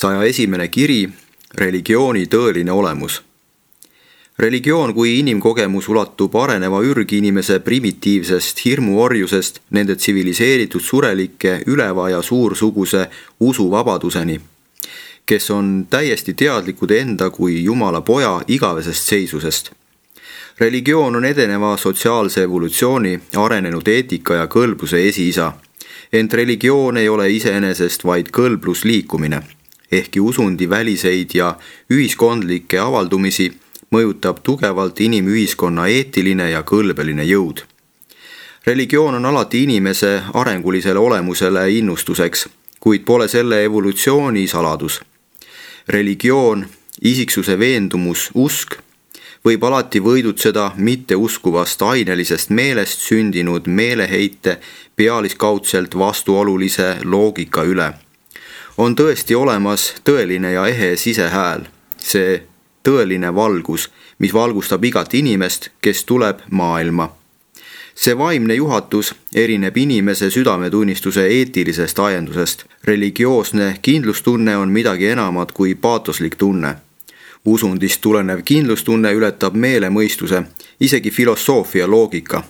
101. kiri, religiooni tõeline olemus. Religioon kui inimkogemus ulatub areneva ürginimese primitiivsest hirmuorjusest nende tsiviliseeritud surelike üleva ja suursuguse usuvabaduseni, kes on täiesti teadlikud enda kui Jumala poja igavesest seisusest. Religioon on edeneva sotsiaalse evolutsiooni, arenenud eetika ja kõlbluse esiisa, ent religioon ei ole iseenesest vaid kõlblusliikumine, ehkki usundi väliseid ja ühiskondlikke avaldumisi mõjutab tugevalt inimühiskonna eetiline ja kõlbeline jõud. Religioon on alati inimese arengulisele olemusele innustuseks, kuid pole selle evolutsiooni saladus. Religioon, isiksuse veendumus, usk võib alati võidutseda mitteuskuvast ainelisest meelest sündinud meeleheite pealiskaudselt vastuolulise loogika üle. On tõesti olemas tõeline ja ehe sisehääl, see tõeline valgus, mis valgustab igat inimest, kes tuleb maailma. See vaimne juhatus erineb inimese südametunnistuse eetilisest ajendusest. Religioosne kindlustunne on midagi enamat kui paatoslik tunne. Usundist tulenev kindlustunne ületab meelemõistuse, isegi filosoofia loogika.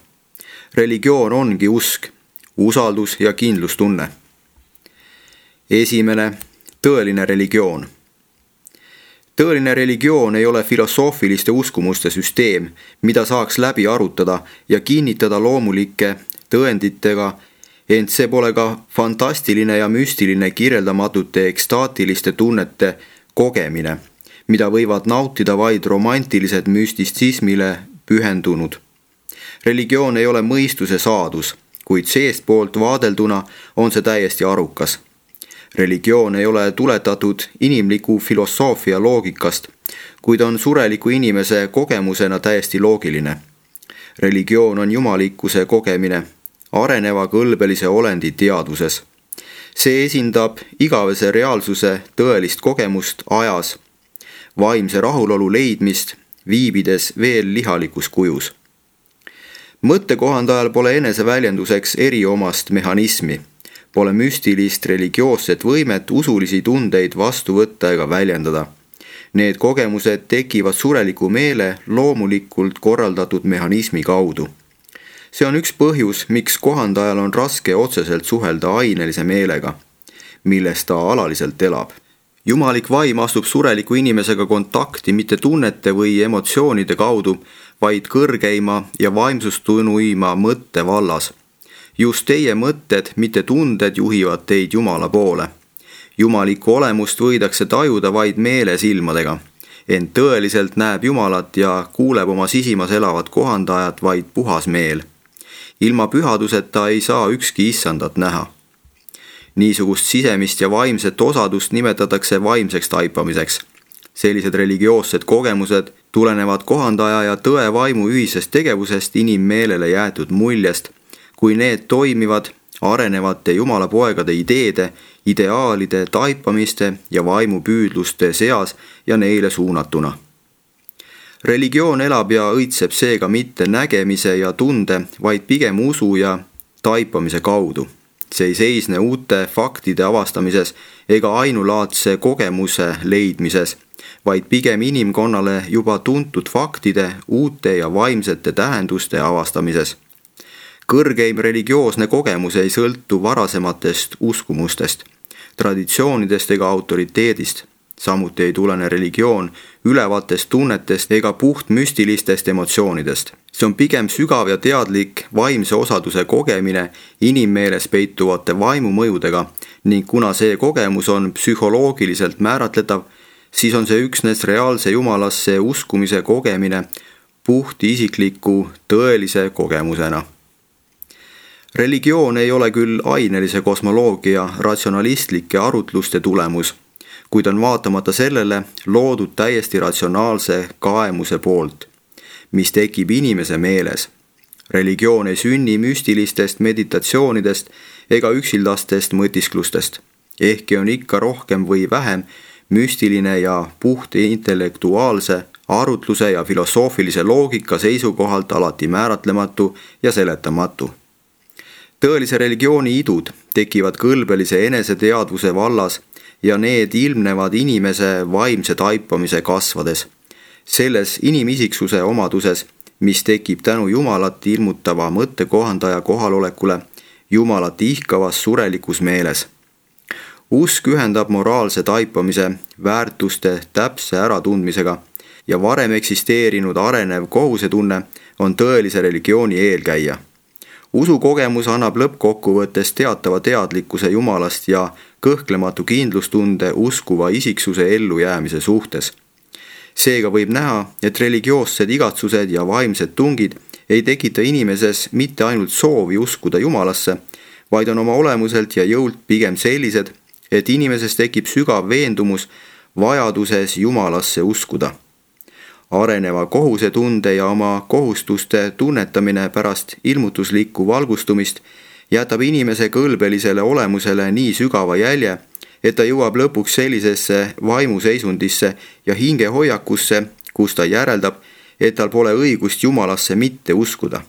Religioon ongi usk, usaldus ja kindlustunne. Esimene, tõeline religioon. Tõeline religioon ei ole filosoofiliste uskumuste süsteem, mida saaks läbi arutada ja kinnitada loomulike tõenditega, ent see pole ka fantastiline ja müstiline kirjeldamatute ekstaatiliste tunnete kogemine, mida võivad nautida vaid romantilised müstitsismile pühendunud. Religioon ei ole mõistuse saadus, kuid seestpoolt vaadelduna on see täiesti arukas. Religioon ei ole tuletatud inimliku filosoofia loogikast, kuid on sureliku inimese kogemusena täiesti loogiline. Religioon on jumalikkuse kogemine, areneva kõlbelise olendi teadvuses. See esindab igavese reaalsuse tõelist kogemust ajas, vaimse rahulolu leidmist, viibides veel lihalikus kujus. Mõttekohandajal pole eneseväljenduseks eriomast mehhanismi, pole müstilist religioosset võimet usulisi tundeid vastu võtta ega väljendada. Need kogemused tekivad sureliku meele loomulikult korraldatud mehhanismi kaudu. See on üks põhjus, miks kohandajal on raske otseselt suhelda ainelise meelega, milles ta alaliselt elab. Jumalik vaim astub sureliku inimesega kontakti mitte tunnete või emotsioonide kaudu, vaid kõrgeima ja vaimsustunuima mõtte vallas. Just teie mõtted, mitte tunded juhivad teid Jumala poole. Jumalikku olemust võidakse tajuda vaid meele silmadega, ent tõeliselt näeb Jumalat ja kuuleb oma sisimas elavat kohandajat vaid puhas meel. Ilma pühaduseta ei saa ükski issandat näha. Niisugust sisemist ja vaimset osadust nimetatakse vaimseks taipamiseks. Sellised religioossed kogemused tulenevad kohandaja ja tõe vaimu ühisest tegevusest inimmeelele jäetud muljest, kui need toimivad arenevate Jumala poegade ideede, ideaalide, taipamiste ja vaimupüüdluste seas ja neile suunatuna. Religioon elab ja õitseb seega mitte nägemise ja tunde, vaid pigem usu ja taipamise kaudu. See ei seisne uute faktide avastamises ega ainulaadse kogemuse leidmises, vaid pigem inimkonnale juba tuntud faktide, uute ja vaimsete tähenduste avastamises. Kõrgeim religioosne kogemus ei sõltu varasematest uskumustest, traditsioonidest ega autoriteedist. Samuti ei tulene religioon ülevatest tunnetest ega puht müstilistest emotsioonidest. See on pigem sügav ja teadlik vaimse osaduse kogemine inimmeeles peituvate vaimumõjudega ning kuna see kogemus on psühholoogiliselt määratletav, siis on see üksnes reaalse Jumalasse uskumise kogemine puht isikliku tõelise kogemusena. Religioon ei ole küll ainelise kosmoloogia ratsionalistlike arutluste tulemus, kuid on vaatamata sellele loodud täiesti ratsionaalse kaemuse poolt, mis tekib inimese meeles. Religioon ei sünni müstilistest meditatsioonidest ega üksildastest mõtisklustest, ehkki on ikka rohkem või vähem müstiline ja puht intellektuaalse arutluse ja filosoofilise loogika seisukohalt alati määratlematu ja seletamatu. Tõelise religiooni idud tekivad kõlbelise eneseteadvuse vallas ja need ilmnevad inimese vaimse taipamise kasvades. Selles inimisiksuse omaduses, mis tekib tänu Jumalat ilmutava mõttekohandaja kohalolekule Jumalat ihkavas surelikus meeles. Usk ühendab moraalse taipamise väärtuste täpse äratundmisega ja varem eksisteerinud arenev kohusetunne on tõelise religiooni eelkäija. Usukogemus annab lõppkokkuvõttes teatava teadlikkuse Jumalast ja kõhklematu kindlustunde uskuva isiksuse ellujäämise suhtes. Seega võib näha, et religioossed igatsused ja vaimsed tungid ei tekita inimeses mitte ainult soovi uskuda Jumalasse, vaid on oma olemuselt ja jõult pigem sellised, et inimeses tekib sügav veendumus vajaduses Jumalasse uskuda. Areneva kohusetunde ja oma kohustuste tunnetamine pärast ilmutuslikku valgustumist jätab inimese kõlbelisele olemusele nii sügava jälje, et ta jõuab lõpuks sellisesse vaimuseisundisse ja hingehoiakusse, kus ta järeldab, et tal pole õigust Jumalasse mitte uskuda.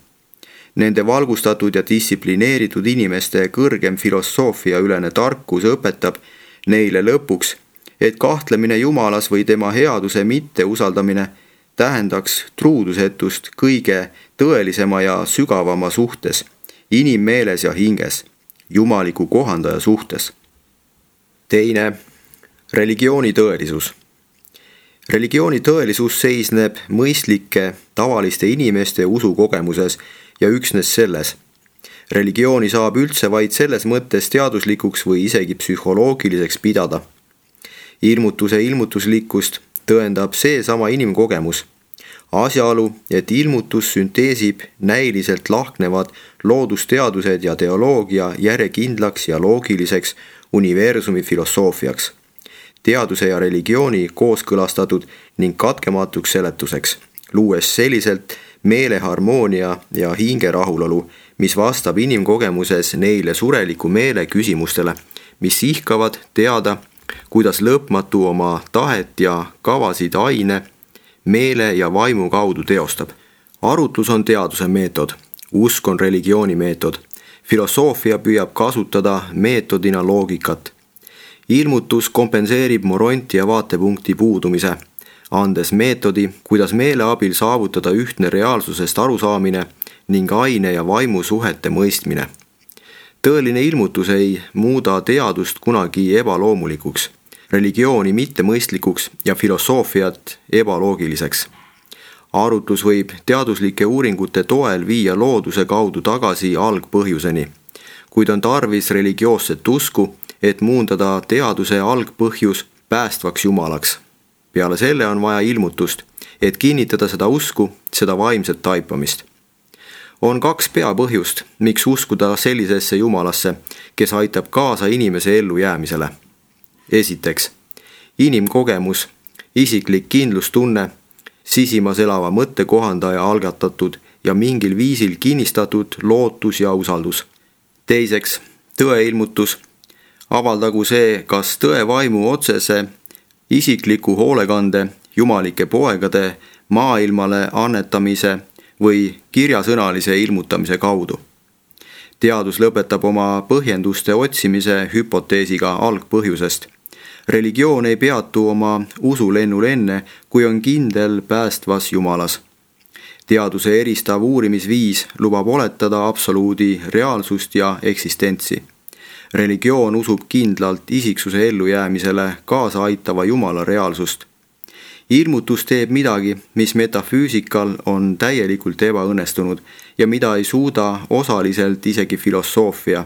Nende valgustatud ja distsiplineeritud inimeste kõrgem filosoofiaülene tarkus õpetab neile lõpuks, et kahtlemine Jumalas või tema headuse mitteusaldamine tähendaks truudusetust kõige tõelisema ja sügavama suhtes, inimmeeles ja hinges, jumaliku kohandaja suhtes. Teine, religiooni tõelisus. Religiooni tõelisus seisneb mõistlike, tavaliste inimeste usukogemuses ja üksnes selles. Religiooni saab üldse vaid selles mõttes teaduslikuks või isegi psühholoogiliseks pidada. Ilmutuse ilmutuslikkust tõendab seesama inimkogemus. Asjaolu, et ilmutus sünteesib näiliselt lahknevad loodusteadused ja teoloogia järjekindlaks ja loogiliseks universumi filosoofiaks, teaduse ja religiooni kooskõlastatud ning katkematuks seletuseks, luues selliselt meeleharmoonia ja hingerahulolu, mis vastab inimkogemuses neile sureliku meele küsimustele, mis ihkavad teada, kuidas lõpmatu oma tahet ja kavasid aine, meele ja vaimu kaudu teostab. Arutlus on teaduse meetod, usk on religiooni meetod. Filosoofia püüab kasutada meetodina loogikat. Ilmutus kompenseerib moronti ja vaatepunkti puudumise, andes meetodi, kuidas meele abil saavutada ühtne reaalsusest arusaamine ning aine ja vaimu suhete mõistmine. Tõeline ilmutus ei muuda teadust kunagi ebaloomulikuks, religiooni mittemõistlikuks ja filosoofiat ebaloogiliseks. Arutlus võib teaduslike uuringute toel viia looduse kaudu tagasi algpõhjuseni, kuid on tarvis religioosset usku, et muundada teaduse algpõhjus päästvaks Jumalaks. Peale selle on vaja ilmutust, et kinnitada seda usku, seda vaimset taipamist. On 2 peapõhjust, miks uskuda sellisesse Jumalasse, kes aitab kaasa inimese ellujäämisele. Esiteks, inimkogemus, isiklik kindlustunne, sisimas elava mõttekohandaja algatatud ja mingil viisil kinnistatud lootus ja usaldus. Teiseks, tõeilmutus, avaldagu see kas tõe vaimu otsese, isikliku hoolekande, jumalike poegade maailmale annetamise või kirjasõnalise ilmutamise kaudu. Teadus lõpetab oma põhjenduste otsimise hüpoteesiga algpõhjusest. Religioon ei peatu oma usulennul enne, kui on kindel päästvas Jumalas. Teaduse eristav uurimisviis lubab oletada absoluudi reaalsust ja eksistentsi. Religioon usub kindlalt isiksuse ellujäämisele kaasa aitava Jumala reaalsust. Ilmutus teeb midagi, mis metafüüsikal on täielikult ebaõnnestunud ja mida ei suuda osaliselt isegi filosoofia.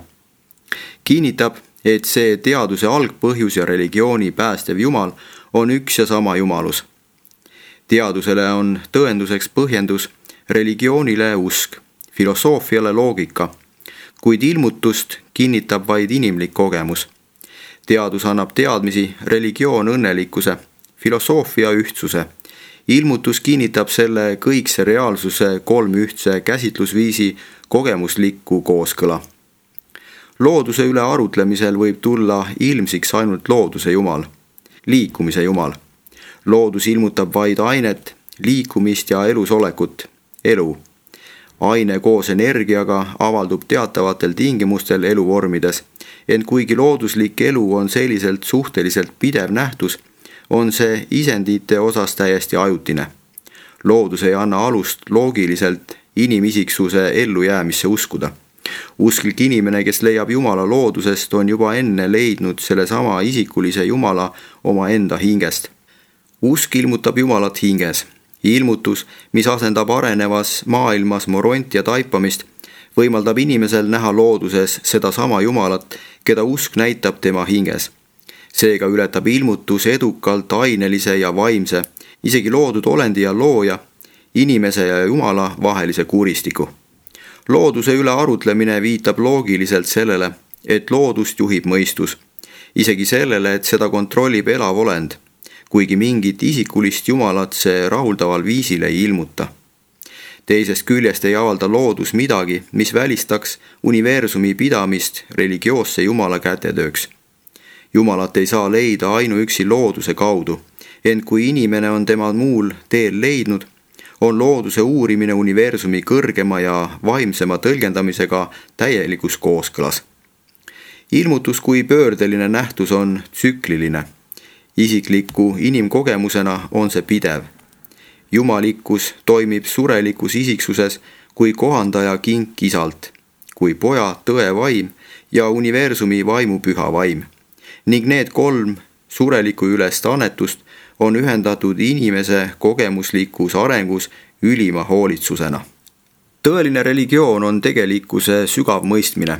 Kinnitab, et see teaduse algpõhjus ja religiooni päästev Jumal on üks ja sama Jumalus. Teadusele on tõenduseks põhjendus, religioonile usk, filosoofiale loogika, kuid ilmutust kinnitab vaid inimlik kogemus. Teadus annab teadmisi, religioon õnnelikkuse, filosoofia ühtsuse. Ilmutus kinnitab selle kõikse reaalsuse 3 ühtse käsitlusviisi kogemuslikku kooskõla. Looduse üle arutlemisel võib tulla ilmsiks ainult looduse Jumal, liikumise Jumal. Loodus ilmutab vaid ainet, liikumist ja elusolekut, elu. Aine koos energiaga avaldub teatavatel tingimustel eluvormides, ent kuigi looduslik elu on selliselt suhteliselt pidev nähtus, on see isendite osas täiesti ajutine. Loodus ei anna alust loogiliselt inimisiksuse ellujäämisse uskuda. Usklik inimene, kes leiab Jumala loodusest, on juba enne leidnud sellesama isikulise Jumala oma enda hingest. Usk ilmutab Jumalat hinges. Ilmutus, mis asendab arenevas maailmas moront ja taipamist, võimaldab inimesel näha looduses sedasama Jumalat, keda usk näitab tema hinges. Seega ületab ilmutus edukalt ainelise ja vaimse, isegi loodud olendi ja looja, inimese ja Jumala vahelise kuristiku. Looduse üle arutlemine viitab loogiliselt sellele, et loodust juhib mõistus, isegi sellele, et seda kontrollib elav olend, kuigi mingit isikulist Jumalat see rahuldaval viisil ei ilmuta. Teisest küljest ei avalda loodus midagi, mis välistaks universumi pidamist religioosse Jumala kätetööks. Jumalat ei saa leida ainuüksi looduse kaudu, ent kui inimene on tema muul teel leidnud, on looduse uurimine universumi kõrgema ja vaimsema tõlgendamisega täielikus kooskõlas. Ilmutus kui pöördeline nähtus on tsükliline. Isikliku inimkogemusena on see pidev. Jumalikkus toimib surelikus isiksuses kui kohandaja kink isalt, kui poja tõe vaim ja universumi vaimu püha vaim. Ning need 3 sureliku ülest annetust on ühendatud inimese kogemuslikus arengus ülima hoolitsusena. Tõeline religioon on tegelikkuse sügav mõistmine,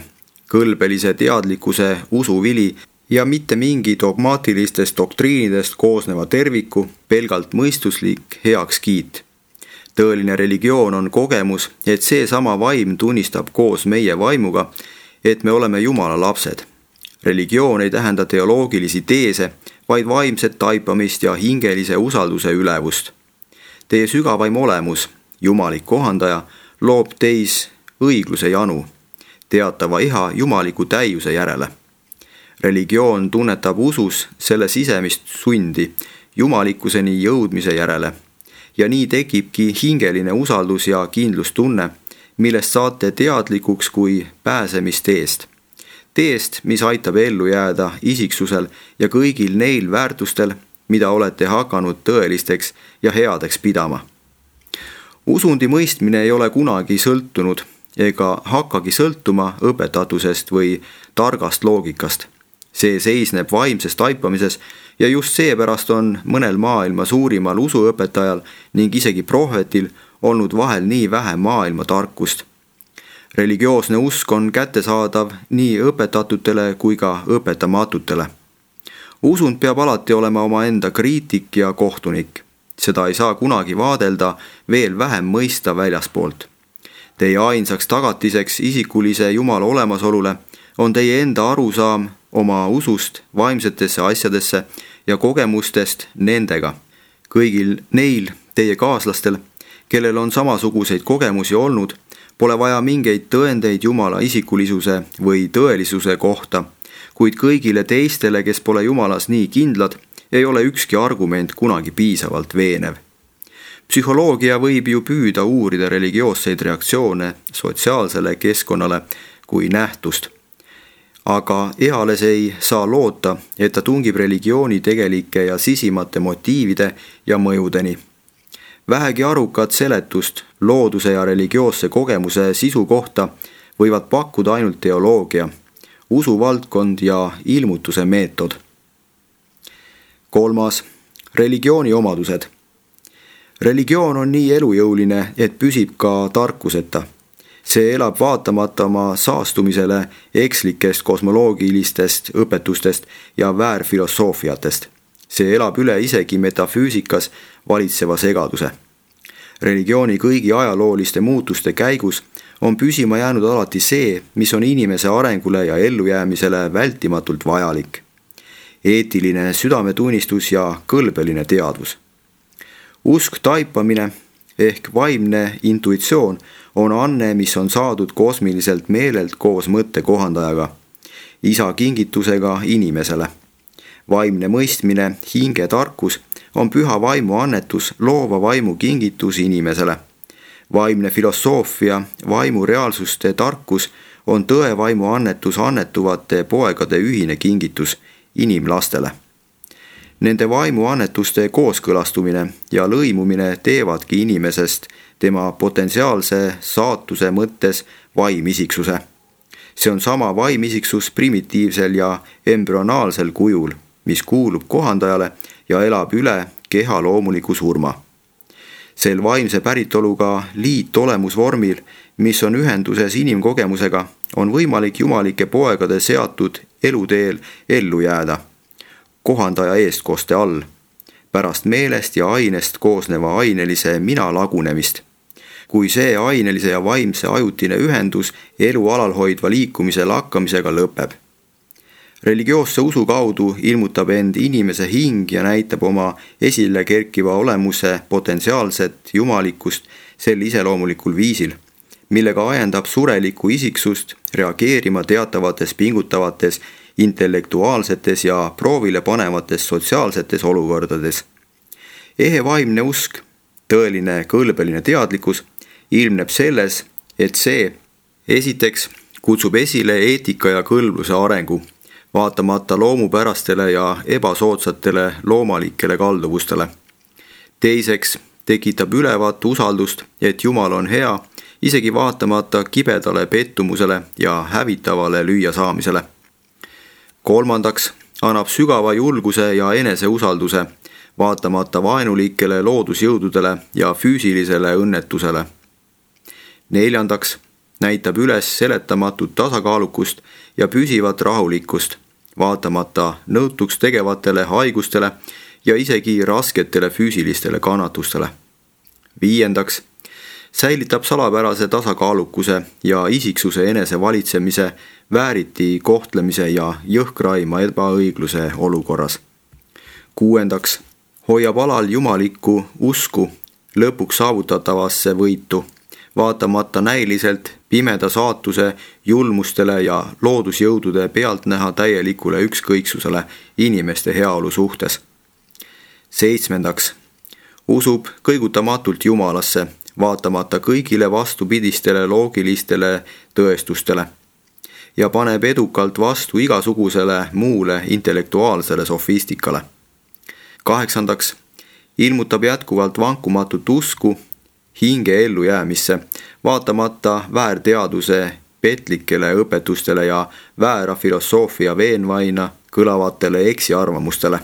kõlbelise teadlikkuse usuvili ja mitte mingi dogmaatilistest doktriinidest koosneva terviku pelgalt mõistuslik heakskiit. Tõeline religioon on kogemus, et seesama vaim tunnistab koos meie vaimuga, et me oleme Jumala lapsed. Religioon ei tähenda teoloogilisi teese, vaid vaimset taipamist ja hingelise usalduse ülevust. Teie sügavaim olemus, jumalik kohandaja, loob teis õigluse janu, teatava iha jumaliku täiuse järele. Religioon tunnetab usus selle sisemist sundi jumalikkuseni jõudmise järele ja nii tekibki hingeline usaldus ja kindlustunne, millest saate teadlikuks kui pääsemisteest. Teest, mis aitab ellu jääda isiksusel ja kõigil neil väärtustel, mida olete hakanud tõelisteks ja headeks pidama. Usundi mõistmine ei ole kunagi sõltunud ega hakkagi sõltuma õpetatusest või targast loogikast. See seisneb vaimses taipamises ja just seepärast on mõnel maailma suurimal usuõpetajal ning isegi prohvetil olnud vahel nii vähe maailma tarkust. Religioosne usk on kättesaadav nii õpetatutele kui ka õpetamatutele. Usund peab alati olema omaenda kriitik ja kohtunik. Seda ei saa kunagi vaadelda veel vähem mõista väljaspoolt. Teie ainsaks tagatiseks isikulise Jumala olemasolule on teie enda arusaam oma usust vaimsetesse asjadesse ja kogemustest nendega. Kõigil neil teie kaaslastel, kellel on samasuguseid kogemusi olnud, pole vaja mingeid tõendeid Jumala isikulisuse või tõelisuse kohta, kuid kõigile teistele, kes pole Jumalas nii kindlad, ei ole ükski argument kunagi piisavalt veenev. Psühholoogia võib ju püüda uurida religioosseid reaktsioone sotsiaalsele keskkonnale kui nähtust, aga eales ei saa loota, et ta tungib religiooni tegelike ja sisimate motiivide ja mõjudeni. Vähegi arukat seletust looduse ja religioosse kogemuse sisu kohta võivad pakkuda ainult teoloogia, usuvaldkond ja ilmutuse meetod. 3. Religiooni omadused. Religioon on nii elujõuline, et püsib ka tarkuseta. See elab vaatamata oma saastumisele ekslikest kosmoloogilistest õpetustest ja väärfilosoofiatest. See elab üle isegi metafüüsikas valitseva segaduse. Religiooni kõigi ajalooliste muutuste käigus on püsima jäänud alati see, mis on inimese arengule ja ellujäämisele vältimatult vajalik. Eetiline südametunnistus ja kõlbeline teadvus. Usk taipamine ehk vaimne intuitsioon on anne, mis on saadud kosmiliselt meelelt koos mõttekohandajaga, isa kingitusega inimesele. Vaimne mõistmine, hinge tarkus on püha vaimu annetus, loova vaimu kingitus inimesele. Vaimne filosoofia, vaimu reaalsuste tarkus on tõevaimu annetus annetuvate poegade ühine kingitus inimlastele. Nende vaimuannetuste kooskõlastumine ja lõimumine teevadki inimesest tema potentsiaalse saatuse mõttes vaimisiksuse. See on sama vaimisiksus primitiivsel ja embrüonaalsel kujul, mis kuulub kohandajale ja elab üle keha loomuliku surma. Sel vaimse päritoluga liitolemusvormil, mis on ühenduses inimkogemusega, on võimalik jumalike poegade seatud eluteel ellu jääda, kohandaja eestkoste all, pärast meelest ja ainest koosneva ainelise mina lagunemist. Kui see ainelise ja vaimse ajutine ühendus elu alalhoidva liikumise lakkamisega lõpeb. Religioosse usu kaudu ilmutab end inimese hing ja näitab oma esile kerkiva olemuse potentsiaalset jumalikkust sel iseloomulikul viisil, millega ajendab surelikku isiksust reageerima teatavates pingutavates, intellektuaalsetes ja proovile panevates sotsiaalsetes olukordades. Ehe vaimne usk, tõeline kõlbeline teadlikkus, ilmneb selles, et see esiteks kutsub esile eetika ja kõlbluse arengu, vaatamata loomupärastele ja ebasoodsatele loomalikele kalduvustele. Teiseks tekitab ülevat usaldust, et Jumal on hea, isegi vaatamata kibedale pettumusele ja hävitavale lüüasaamisele. Kolmandaks annab sügava julguse ja eneseusalduse, vaatamata vaenulikele loodusjõududele ja füüsilisele õnnetusele. Neljandaks näitab üles seletamatut tasakaalukust ja püsivat rahulikkust, vaatamata nõutuks tegevatele haigustele ja isegi rasketele füüsilistele kannatustele. Viiendaks säilitab salapärase tasakaalukuse ja isiksuse enesevalitsemise, vääriti kohtlemise ja jõhkraima ebaõigluse olukorras. Kuuendaks hoiab alal jumalikku usku lõpuks saavutatavasse võitu, vaatamata näiliselt pimeda saatuse julmustele ja loodusjõudude pealtnäha täielikule ükskõiksusele inimeste heaolu suhtes. Seitsmendaks usub kõigutamatult Jumalasse, vaatamata kõigile vastupidistele loogilistele tõestustele ja paneb edukalt vastu igasugusele muule intellektuaalsele sofistikale. Kaheksandaks ilmutab jätkuvalt vankumatut usku hinge ellujäämisse, vaatamata väärteaduse petlikele õpetustele ja väära filosoofia veenvaina kõlavatele eksiarvamustele.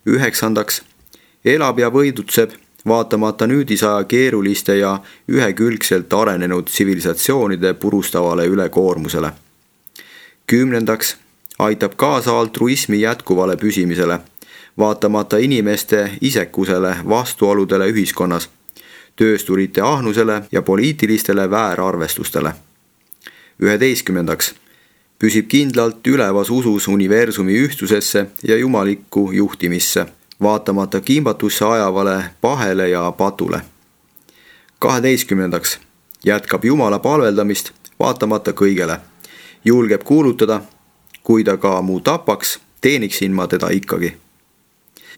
Üheksandaks elab ja võidutseb, vaatamata nüüdisaja keeruliste ja ühekülgselt arenenud tsivilisatsioonide purustavale ülekoormusele. Kümnendaks aitab kaasa altruismi jätkuvale püsimisele, vaatamata inimeste isekusele vastuoludele ühiskonnas, töösturite ahnusele ja poliitilistele väärarvestustele. 11. püsib kindlalt ülevas usus universumi ühtsusesse ja jumalikku juhtimisse, vaatamata kimbatusse ajavale pahele ja patule. 12. jätkab Jumala palveldamist vaatamata kõigele, julgeb kuulutada, kui ta ka mu tapaks, teeniksin ma teda ikkagi.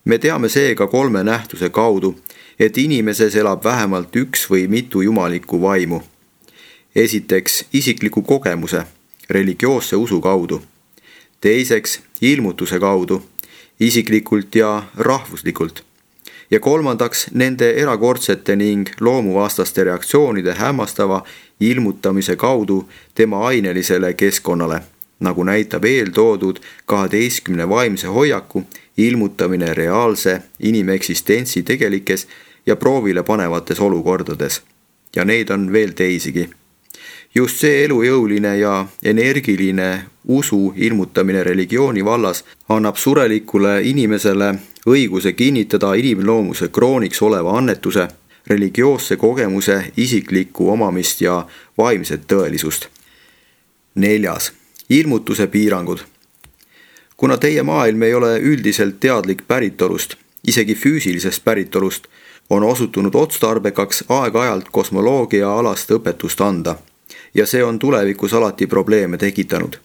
Me teame seega kolme nähtuse kaudu, et inimeses elab vähemalt üks või mitu jumalikku vaimu. Esiteks isikliku kogemuse, religioosse usu kaudu. Teiseks ilmutuse kaudu, isiklikult ja rahvuslikult. Ja kolmandaks nende erakordsete ning loomuvastaste reaktsioonide hämmastava ilmutamise kaudu tema ainelisele keskkonnale, nagu näitab eeltoodud 12 vaimse hoiaku ilmutamine reaalse inimeksistentsi tegelikes ja proovile panevates olukordades. Ja neid on veel teisigi. Just see elujõuline ja energiline usu ilmutamine religiooni vallas annab surelikule inimesele õiguse kinnitada inimloomuse krooniks oleva annetuse, religioosse kogemuse isiklikku omamist ja vaimset tõelisust. 4. ilmutuse piirangud. Kuna teie maailm ei ole üldiselt teadlik päritolust, isegi füüsilisest päritolust, on osutunud otstarbekaks aeg-ajalt kosmoloogia alast õpetust anda ja see on tulevikus alati probleeme tekitanud.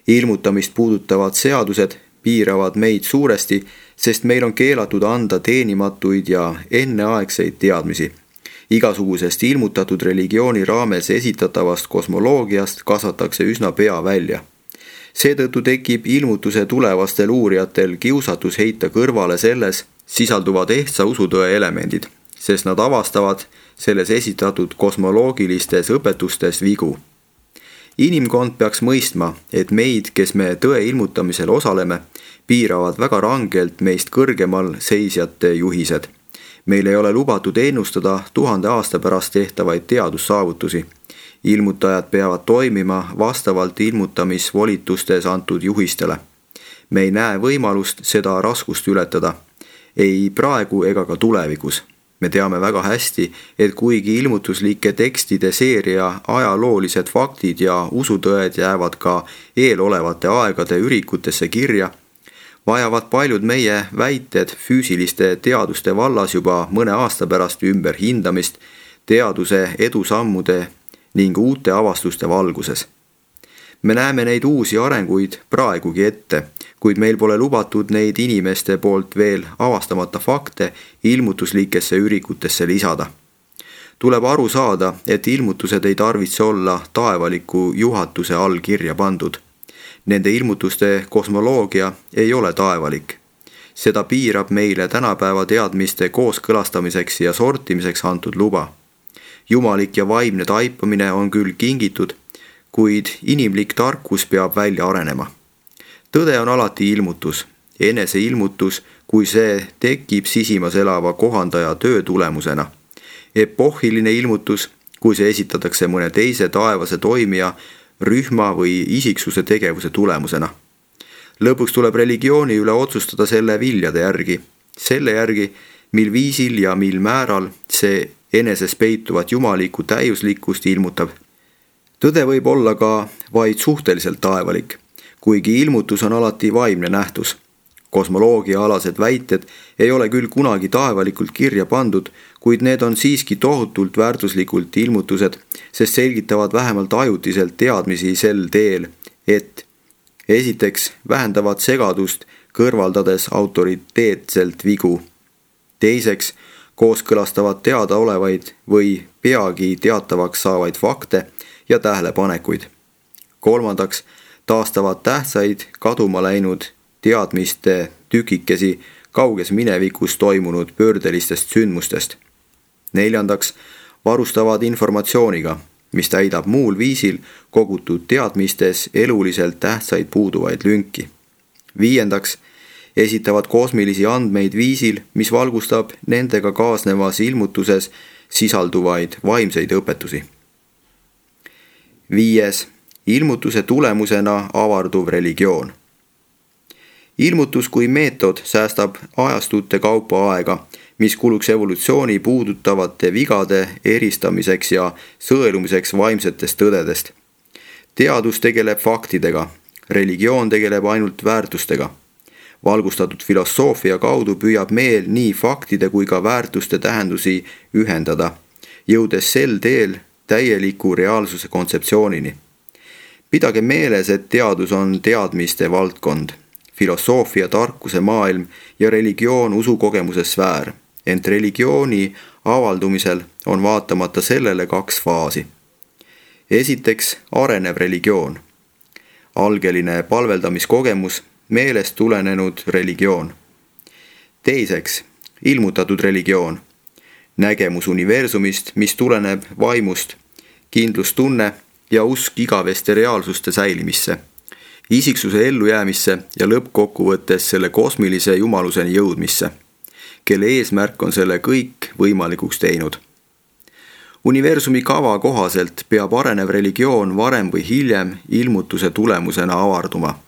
Ilmutamist puudutavad seadused piiravad meid suuresti, sest meil on keelatud anda teenimatuid ja enneaegseid teadmisi. Igasugusest ilmutatud religiooni raames esitatavast kosmoloogiast kasvatakse üsna pea välja. Seetõttu tekib ilmutuse tulevastel uurijatel kiusatus heita kõrvale selles sisalduvad ehtsa usutõe elemendid, sest nad avastavad selles esitatud kosmoloogilistes õpetustes vigu. Inimkond peaks mõistma, et meid, kes me tõe ilmutamisel osaleme, piiravad väga rangelt meist kõrgemal seisjate juhised. Meil ei ole lubatud ennustada 1000 aasta pärast tehtavaid teadussaavutusi. Ilmutajad peavad toimima vastavalt ilmutamisvolitustes antud juhistele. Me ei näe võimalust seda raskust ületada, ei praegu ega ka tulevikus. Me teame väga hästi, et kuigi ilmutuslike tekstide seeria ajaloolised faktid ja usutõed jäävad ka eelolevate aegade ürikutesse kirja, vajavad paljud meie väited füüsiliste teaduste vallas juba mõne aasta pärast ümberhindamist teaduse edusammude ning uute avastuste valguses. Me näeme neid uusi arenguid praegugi ette, kuid meil pole lubatud neid inimeste poolt veel avastamata fakte ilmutuslikesse ürikutesse lisada. Tuleb aru saada, et ilmutused ei tarvitse olla taevaliku juhatuse all kirja pandud. Nende ilmutuste kosmoloogia ei ole taevalik. Seda piirab meile tänapäeva teadmiste kooskõlastamiseks ja sortimiseks antud luba. Jumalik ja vaimne taipamine on küll kingitud, kuid inimlik tarkus peab välja arenema. Tõde on alati ilmutus, eneseilmutus, kui see tekib sisimas elava kohandaja töö tulemusena. Epohhiline ilmutus, kui see esitatakse mõne teise taevase toimija, rühma või isiksuse tegevuse tulemusena. Lõpuks tuleb religiooni üle otsustada selle viljade järgi, selle järgi, mil viisil ja mil määral see eneses peituvat jumalikku täiuslikkust ilmutab. Tõde võib olla ka vaid suhteliselt taevalik, kuigi ilmutus on alati vaimne nähtus. Kosmoloogia-alased väited ei ole küll kunagi taevalikult kirja pandud, kuid need on siiski tohutult väärtuslikult ilmutused, sest selgitavad vähemalt ajutiselt teadmisi sel teel, et esiteks vähendavad segadust, kõrvaldades autoriteetselt vigu. Teiseks kooskõlastavad teadaolevaid või peagi teatavaks saavaid fakte ja tähelepanekuid. Kolmandaks taastavad tähtsaid kaduma läinud teadmiste tükikesi kauges minevikus toimunud pöördelistest sündmustest. Neljandaks varustavad informatsiooniga, mis täidab muul viisil kogutud teadmistes eluliselt tähtsaid puuduvaid lünki. Viiendaks esitavad kosmilisi andmeid viisil, mis valgustab nendega kaasnevas ilmutuses sisalduvaid vaimseid õpetusi. 5. Ilmutuse tulemusena avarduv religioon. Ilmutus kui meetod säästab ajastute kaupa aega, mis kuluks evolutsiooni puudutavate vigade eristamiseks ja sõelumiseks vaimsetest tõdedest. Teadus tegeleb faktidega, religioon tegeleb ainult väärtustega. Valgustatud filosoofia kaudu püüab meel nii faktide kui ka väärtuste tähendusi ühendada, jõudes sel teel täieliku reaalsuse kontseptsioonini. Pidage meeles, et teadus on teadmiste valdkond, filosoofia tarkuse maailm ja religioon usukogemuse sfäär, ent religiooni avaldumisel on vaatamata sellele 2 faasi. Esiteks arenev religioon, algeline palveldamiskogemus, meelest tulenenud religioon. Teiseks ilmutatud religioon, nägemus universumist, mis tuleneb vaimust, kindlustunne ja usk igaveste reaalsuste säilimisse, isiksuse ellujäämisse ja lõppkokkuvõttes selle kosmilise jumaluseni jõudmisse, kelle eesmärk on selle kõik võimalikuks teinud. Universumi kava kohaselt peab arenev religioon varem või hiljem ilmutuse tulemusena avarduma.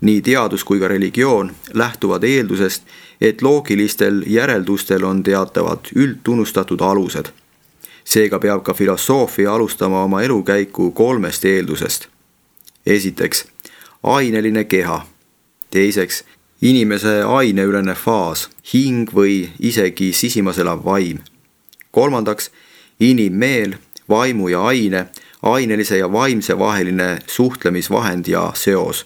Nii teadus kui ka religioon lähtuvad eeldusest, et loogilistel järeldustel on teatavad üldtunnustatud alused. Seega peab ka filosoofia alustama oma elukäiku 3 eeldusest. Esiteks, aineline keha. Teiseks, inimese aineülene faas, hing või isegi sisimas elav vaim. Kolmandaks, inimmeel, vaimu ja aine, ainelise ja vaimse vaheline suhtlemisvahend ja seos.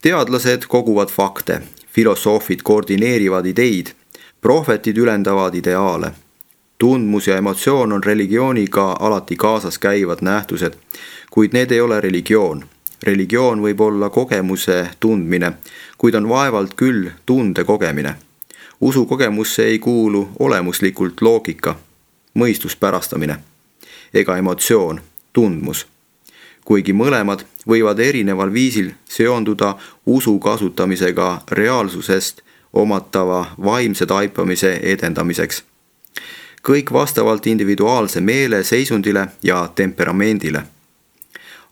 Teadlased koguvad fakte, filosoofid koordineerivad ideid, prohvetid ülendavad ideaale. Tundmus ja emotsioon on religiooniga alati kaasas käivad nähtused, kuid need ei ole religioon. Religioon võib olla kogemuse tundmine, kuid on vaevalt küll tunde kogemine. Usukogemusse ei kuulu olemuslikult loogika, mõistuspärastamine ega emotsioon, tundmus. Kuigi mõlemad võivad erineval viisil seonduda usu kasutamisega reaalsusest omatava vaimse taipamise edendamiseks. Kõik vastavalt individuaalse meele seisundile ja temperamendile.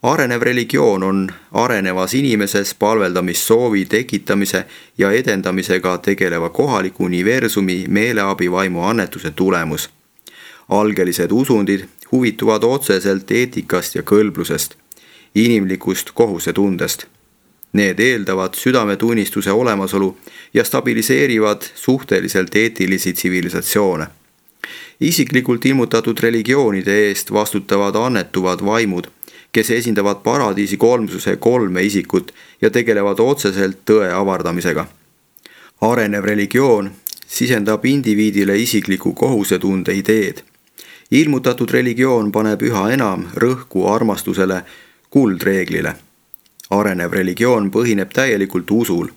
Arenev religioon on arenevas inimeses palveldamissoovi tekitamise ja edendamisega tegeleva kohaliku universumi meeleabivaimu annetuse tulemus. Algelised usundid huvituvad otseselt eetikast ja kõlblusest, inimlikust kohusetundest. Need eeldavad südametunnistuse olemasolu ja stabiliseerivad suhteliselt eetilisi tsivilisatsioone. Isiklikult ilmutatud religioonide eest vastutavad annetuvad vaimud, kes esindavad paradiisi kolmsuse 3 isikut ja tegelevad otseselt tõe avardamisega. Arenev religioon sisendab indiviidile isikliku kohusetunde ideed. Ilmutatud religioon paneb üha enam rõhku armastusele, kuldreeglile. Arenev religioon põhineb täielikult usul.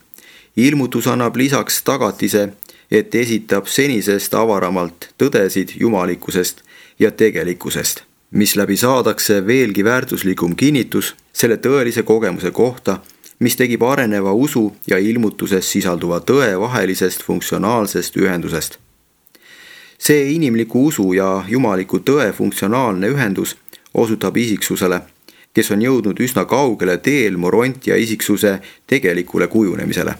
Ilmutus annab lisaks tagatise, et esitab senisest avaramalt tõdesid jumalikkusest ja tegelikkusest, mis läbi saadakse veelgi väärtuslikum kinnitus selle tõelise kogemuse kohta, mis tegib areneva usu ja ilmutuses sisalduva tõe vahelisest funktsionaalsest ühendusest. See inimliku usu ja jumaliku tõe funktsionaalne ühendus osutab isiksusele, kes on jõudnud üsna kaugele teel morontia isiksuse tegelikule kujunemisele.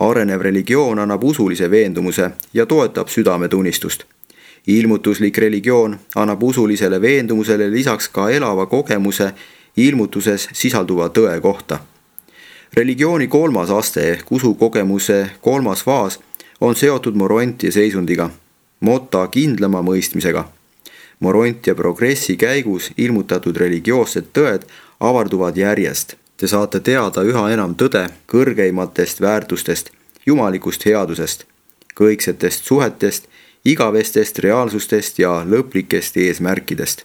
Arenev religioon annab usulise veendumuse ja toetab südametunnistust. Ilmutuslik religioon annab usulisele veendumusele lisaks ka elava kogemuse ilmutuses sisalduva tõe kohta. Religiooni 3. aste ehk usukogemuse 3. faas on seotud morontia seisundiga, motta kindlama mõistmisega. Morontia progressi käigus ilmutatud religioossed tõed avarduvad järjest. Te saate teada üha enam tõde kõrgeimatest väärtustest, jumalikust headusest, kõiksetest suhetest, igavestest reaalsustest ja lõplikest eesmärkidest.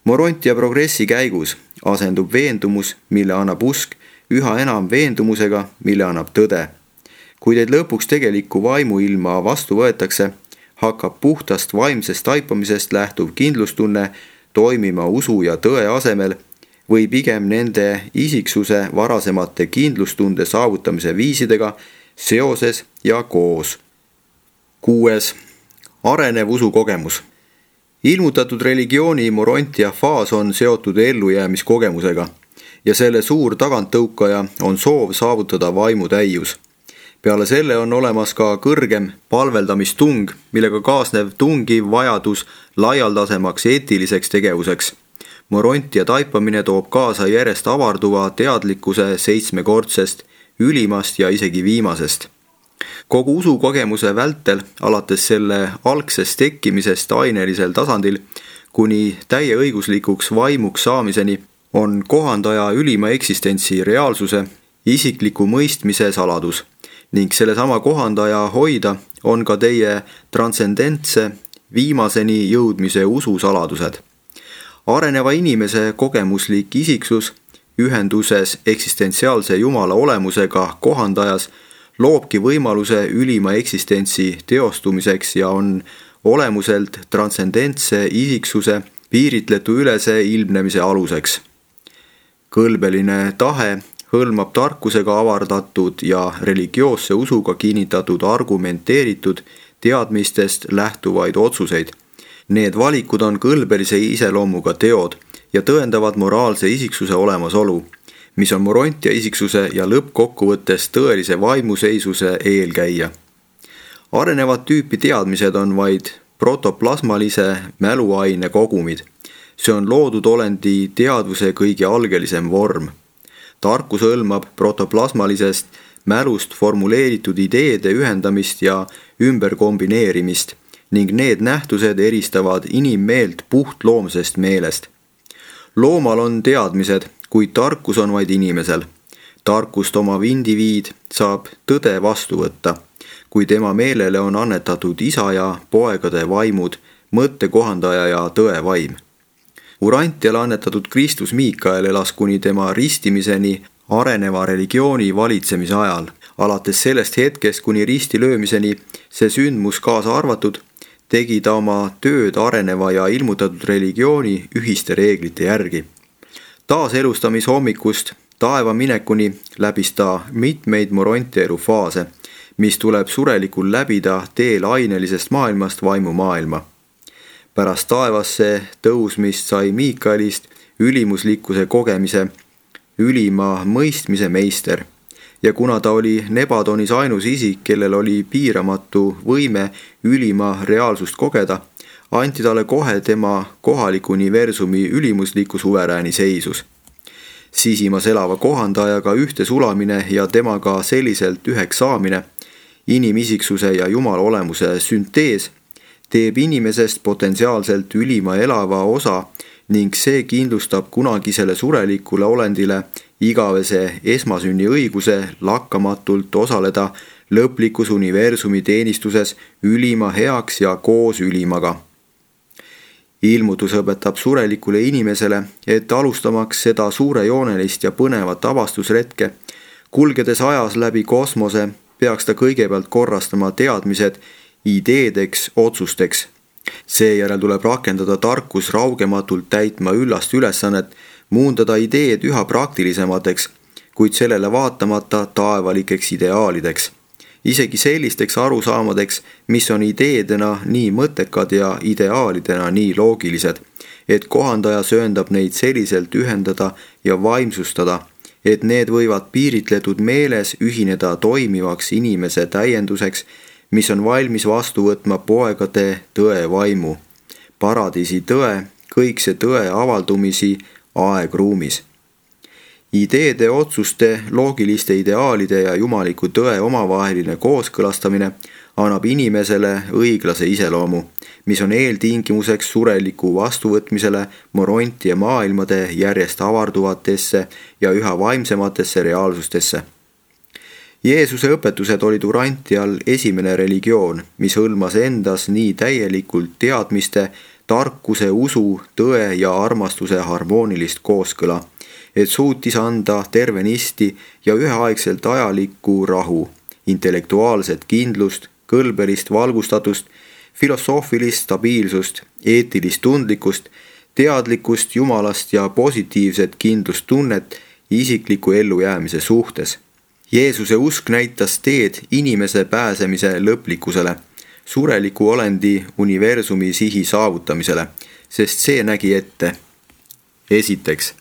Morontia progressi käigus asendub veendumus, mille annab usk, üha enam veendumusega, mille annab tõde. Kui teid lõpuks tegeliku vaimuilma vastu võetakse, hakkab puhtast vaimsest taipamisest lähtuv kindlustunne toimima usu ja tõe asemel või pigem nende isiksuse varasemate kindlustunde saavutamise viisidega seoses ja koos. 6. Arenev usukogemus. Ilmutatud religiooni morontia faas on seotud ellujäämiskogemusega ja selle suur taganttõukaja on soov saavutada vaimutäius. Peale selle on olemas ka kõrgem palveldamistung, millega kaasnev tungiv vajadus laialdasemaks eetiliseks tegevuseks. Morontia taipamine toob kaasa järjest avarduva teadlikkuse 7-kordsest, ülimast ja isegi viimasest. Kogu usukogemuse vältel, alates selle algsest tekkimisest ainelisel tasandil, kuni täieõiguslikuks vaimuks saamiseni, on kohandaja ülima eksistentsi reaalsuse, isikliku mõistmise saladus. Ning sellesama kohandaja hoida on ka teie transcendentse viimaseni jõudmise ususaladused. Areneva inimese kogemuslik isiksus ühenduses eksistentsiaalse Jumala olemusega kohandajas loobki võimaluse ülima eksistentsi teostumiseks ja on olemuselt transcendentse isiksuse piiritletu ülese ilmnemise aluseks. Kõlbeline tahe hõlmab tarkusega avardatud ja religioosse usuga kinnitatud argumenteeritud teadmistest lähtuvaid otsuseid. Need valikud on kõlbelise iseloomuga teod ja tõendavad moraalse isiksuse olemasolu, mis on morontia isiksuse ja lõppkokkuvõttes tõelise vaimuseisuse eelkäija. Arenevat tüüpi teadmised on vaid protoplasmalise mäluaine kogumid. See on loodud olendi teadvuse kõige algelisem vorm. Tarkus hõlmab protoplasmalisest mälust formuleeritud ideede ühendamist ja ümberkombineerimist ning need nähtused eristavad inimmeelt puhtloomsest meelest. Loomal on teadmised, kuid tarkus on vaid inimesel. Tarkust omav indiviid saab tõde vastu võtta kui tema meelele on annetatud isa ja poegade vaimud, mõttekohandaja ja tõe vaim. Urantiale annetatud Kristus Miikael elas kuni tema ristimiseni areneva religiooni valitsemise ajal. Alates sellest hetkest kuni risti löömiseni, see sündmus kaasa arvatud, tegi ta oma tööd areneva ja ilmutatud religiooni ühiste reeglite järgi. Taaselustamishommikust taeva minekuni läbis ta mitmeid Morontia elufaase, mis tuleb surelikul läbida teel ainelisest maailmast vaimumaailma. Pärast taevasse tõusmist sai Miikaelist ülimuslikkuse kogemise, ülima mõistmise meister. Ja kuna ta oli Nebadonis ainus isik, kellel oli piiramatu võime ülima reaalsust kogeda, anti talle kohe tema kohaliku universumi ülimusliku suverääni seisus. Sisimas elava kohandajaga ühte sulamine ja temaga selliselt üheks saamine, inimisiksuse ja Jumala olemuse süntees, teeb inimesest potentsiaalselt ülima elava osa ning see kindlustab kunagisele surelikule olendile igavese esmasünni õiguse lakkamatult osaleda lõplikus universumi teenistuses ülima heaks ja koos ülimaga. Ilmutus õpetab surelikule inimesele, et alustamaks seda suurejoonelist ja põnevat avastusretke, kulgedes ajas läbi kosmose, peaks ta kõigepealt korrastama teadmised ideedeks, otsusteks. Seejärel tuleb rakendada tarkus raugematult täitma üllast ülesannet, muundada ideed üha praktilisemateks, kuid sellele vaatamata taevalikeks ideaalideks. Isegi sellisteks arusaamadeks, mis on ideedena nii mõttekad ja ideaalidena nii loogilised, et kohandaja sööndab neid selliselt ühendada ja vaimsustada, et need võivad piiritletud meeles ühineda toimivaks inimese täienduseks, mis on valmis vastu võtma poegade tõe vaimu, paradiisi tõe, kõikse tõe avaldumisi aegruumis. Ideede, otsuste, loogiliste ideaalide ja jumaliku tõe omavaheline kooskõlastamine annab inimesele õiglase iseloomu, mis on eeltingimuseks sureliku vastuvõtmisele Morontia maailmade järjest avarduvatesse ja üha vaimsematesse reaalsustesse. Jeesuse õpetused olid Urantial esimene religioon, mis hõlmas endas nii täielikult teadmiste, tarkuse, usu, tõe ja armastuse harmoonilist kooskõla, et suutis anda tervenisti ja üheaegselt ajalikku rahu, intellektuaalset kindlust, kõlbelist valgustatust, filosoofilist stabiilsust, eetilist tundlikkust, teadlikkust Jumalast ja positiivset kindlustunnet isikliku ellujäämise suhtes. Jeesuse usk näitas teed inimese pääsemise lõplikkusele, sureliku olendi universumi sihi saavutamisele, sest see nägi ette. Esiteks,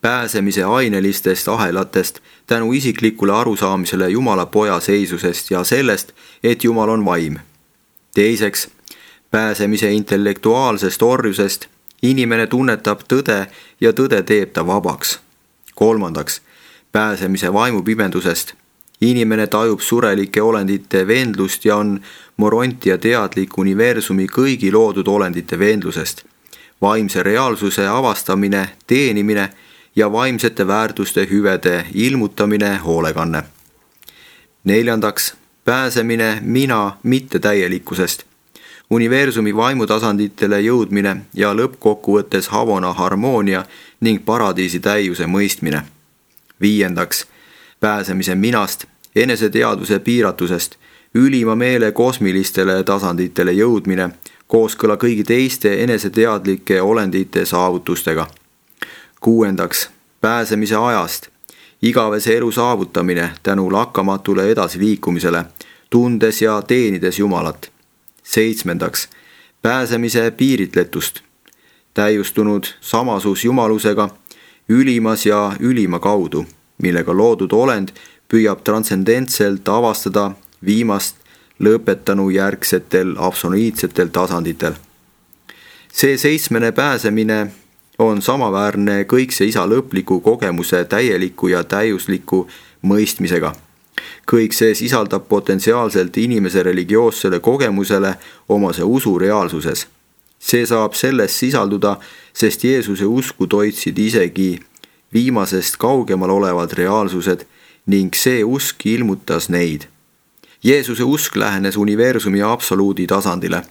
pääsemise ainelistest ahelatest tänu isiklikule arusaamisele Jumala poja seisusest ja sellest, et Jumal on vaim. Teiseks, pääsemise intellektuaalsest orjusest inimene tunnetab tõde ja tõde teeb ta vabaks. Kolmandaks, pääsemise vaimupimendusest inimene tajub surelike olendite vendlust ja on Morontia teadlik universumi kõigi loodud olendite vendlusest, vaimse reaalsuse avastamine, teenimine ja vaimsete väärtuste hüvede ilmutamine hoolekanne. Neljandaks, pääsemine mina mittetäielikkusest, universumi vaimutasanditele jõudmine ja lõppkokkuvõttes Havona harmoonia ning paradiisi täiuse mõistmine. Viiendaks, pääsemise minast, eneseteadvuse piiratusest, ülima meele kosmilistele tasanditele jõudmine, kooskõla kõigi teiste eneseteadlike olendite saavutustega. Kuuendaks, pääsemise ajast, igavese elu saavutamine tänu lakkamatule edasiliikumisele, tundes ja teenides Jumalat. Seitsmendaks, pääsemise piiritletust, täiustunud samasus Jumalusega, ülimas ja ülima kaudu, millega loodud olend püüab transcendentselt avastada viimast lõpetanu järgsetel absoluutsetel tasanditel. See seitsmene pääsemine on samaväärne kõikse isa lõpliku kogemuse täieliku ja täiusliku mõistmisega. Kõik see sisaldab potentsiaalselt inimese religioossele kogemusele omase usu reaalsuses. See saab selles sisalduda, sest Jeesuse usku toitsid isegi viimasest kaugemal olevad reaalsused ning see usk ilmutas neid. Jeesuse usk lähenes universumi absoluudi tasandile,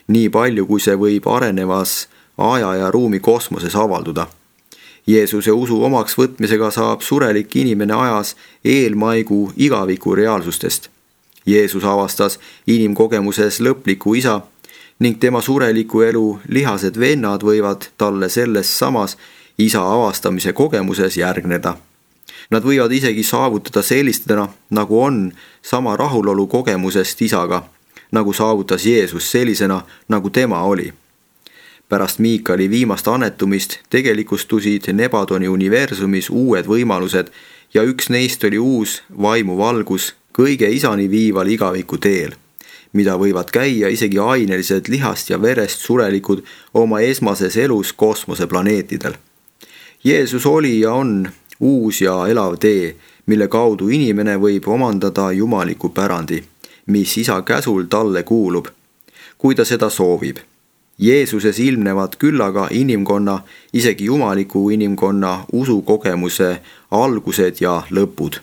nii palju kui see võib arenevas aja ja ruumi kosmoses avalduda. Jeesuse usu omaks võtmisega saab surelik inimene ajas eelmaigu igaviku reaalsustest. Jeesus avastas inimkogemuses lõpliku isa ning tema sureliku elu lihased vennad võivad talle selles samas isa avastamise kogemuses järgneda. Nad võivad isegi saavutada sellistena, nagu on sama rahulolu kogemusest isaga, nagu saavutas Jeesus sellisena, nagu tema oli. Pärast Miikali viimast annetumist tegelikustusid Nebadoni universumis uued võimalused ja üks neist oli uus vaimuvalgus kõige isani viival igaviku teel, mida võivad käia isegi ainelised lihast ja verest surelikud oma esmases elus kosmoseplaneetidel. Jeesus oli ja on uus ja elav tee, mille kaudu inimene võib omandada jumaliku pärandi, mis isa käsul talle kuulub, kui ta seda soovib. Jeesuses ilmnevad küllaga inimkonna, isegi jumaliku inimkonna usukogemuse algused ja lõpud.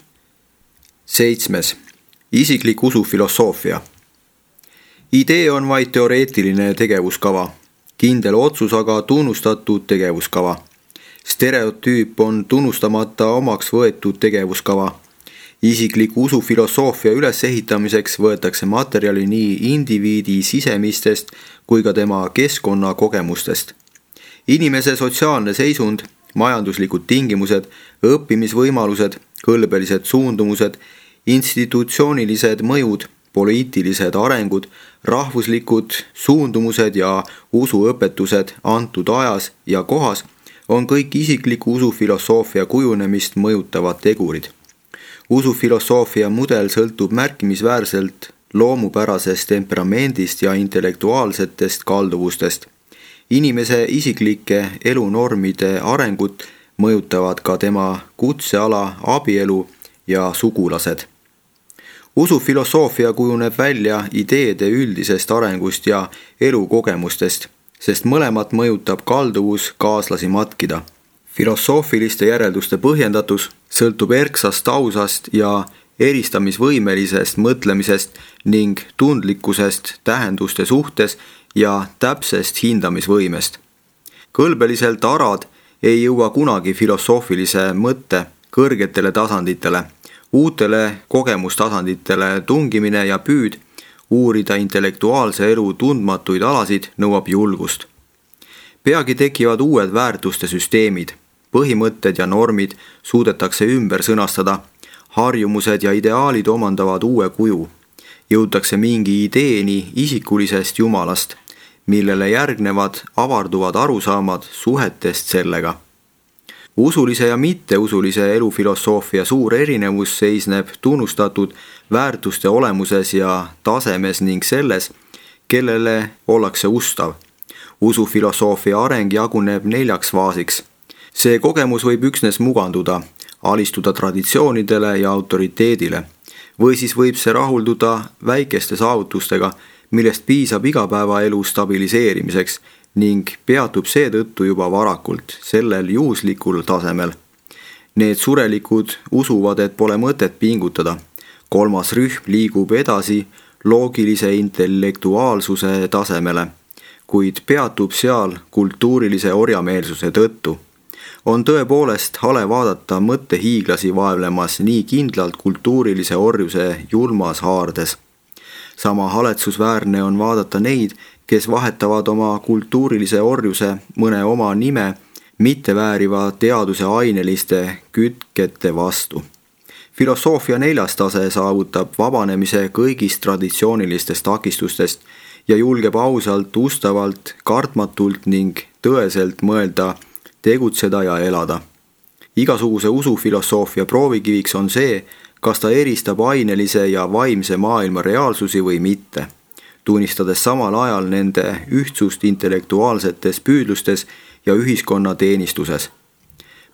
7. Isiklik usufilosoofia. Idee on vaid teoreetiline tegevuskava, kindel otsus aga tunnustatud tegevuskava. Stereotüüp on tunnustamata omaks võetud tegevuskava. Isikliku usufilosoofia ülesehitamiseks võetakse materjali nii indiviidi sisemistest kui ka tema keskkonna kogemustest. Inimese sotsiaalne seisund, majanduslikud tingimused, õppimisvõimalused, kõlbelised suundumused, institutsioonilised mõjud, poliitilised arengud, rahvuslikud suundumused ja usuõpetused antud ajas ja kohas on kõik isikliku usufilosoofia kujunemist mõjutavad tegurid. Usufilosoofia mudel sõltub märkimisväärselt loomupärasest temperamendist ja intellektuaalsetest kalduvustest. Inimese isiklike elunormide arengut mõjutavad ka tema kutseala, abielu ja sugulased. Usufilosoofia kujuneb välja ideede üldisest arengust ja elukogemustest, sest mõlemat mõjutab kalduvus kaaslasi matkida. Filosoofiliste järelduste põhjendatus sõltub erksast ausast ja eristamisvõimelisest mõtlemisest ning tundlikkusest tähenduste suhtes ja täpsest hindamisvõimest. Kõlbeliselt arad ei jõua kunagi filosoofilise mõtte kõrgetele tasanditele, uutele kogemustasanditele tungimine ja püüd uurida intellektuaalse elu tundmatuid alasid nõuab julgust. Peagi tekivad uued väärtuste süsteemid, põhimõtted ja normid suudetakse ümber sõnastada, harjumused ja ideaalid omandavad uue kuju. Jõutakse mingi ideeni isikulisest jumalast, millele järgnevad avarduvad arusaamad suhetest sellega. Usulise ja mitteusulise elufilosoofia suur erinevus seisneb tunnustatud väärtuste olemuses ja tasemes ning selles, kellele ollakse ustav. Usufilosoofia areng jaguneb 4 faasiks. See kogemus võib üksnes muganduda, alistuda traditsioonidele ja autoriteedile, või siis võib see rahulduda väikeste saavutustega, millest piisab igapäevaelu stabiliseerimiseks ning peatub seetõttu juba varakult, sellel juhuslikul tasemel. Need surelikud usuvad, et pole mõtet pingutada. 3. rühm liigub edasi loogilise intellektuaalsuse tasemele, kuid peatub seal kultuurilise orjameelsuse tõttu. On tõepoolest hale vaadata mõttehiiglasi vaevlemas nii kindlalt kultuurilise orjuse julmas haardes. Sama haletsusväärne on vaadata neid, kes vahetavad oma kultuurilise orjuse mõne oma nime mittevääriva teaduse aineliste kütkete vastu. Filosoofia 4. tase saavutab vabanemise kõigist traditsioonilistest takistustest ja julgeb ausalt, ustavalt, kartmatult ning tõeselt mõelda, tegutseda ja elada. Igasuguse usufilosoofia proovikiviks on see, kas ta eristab ainelise ja vaimse maailma reaalsusi või mitte, tunnistades samal ajal nende ühtsust intellektuaalsetes püüdlustes ja ühiskonna teenistuses.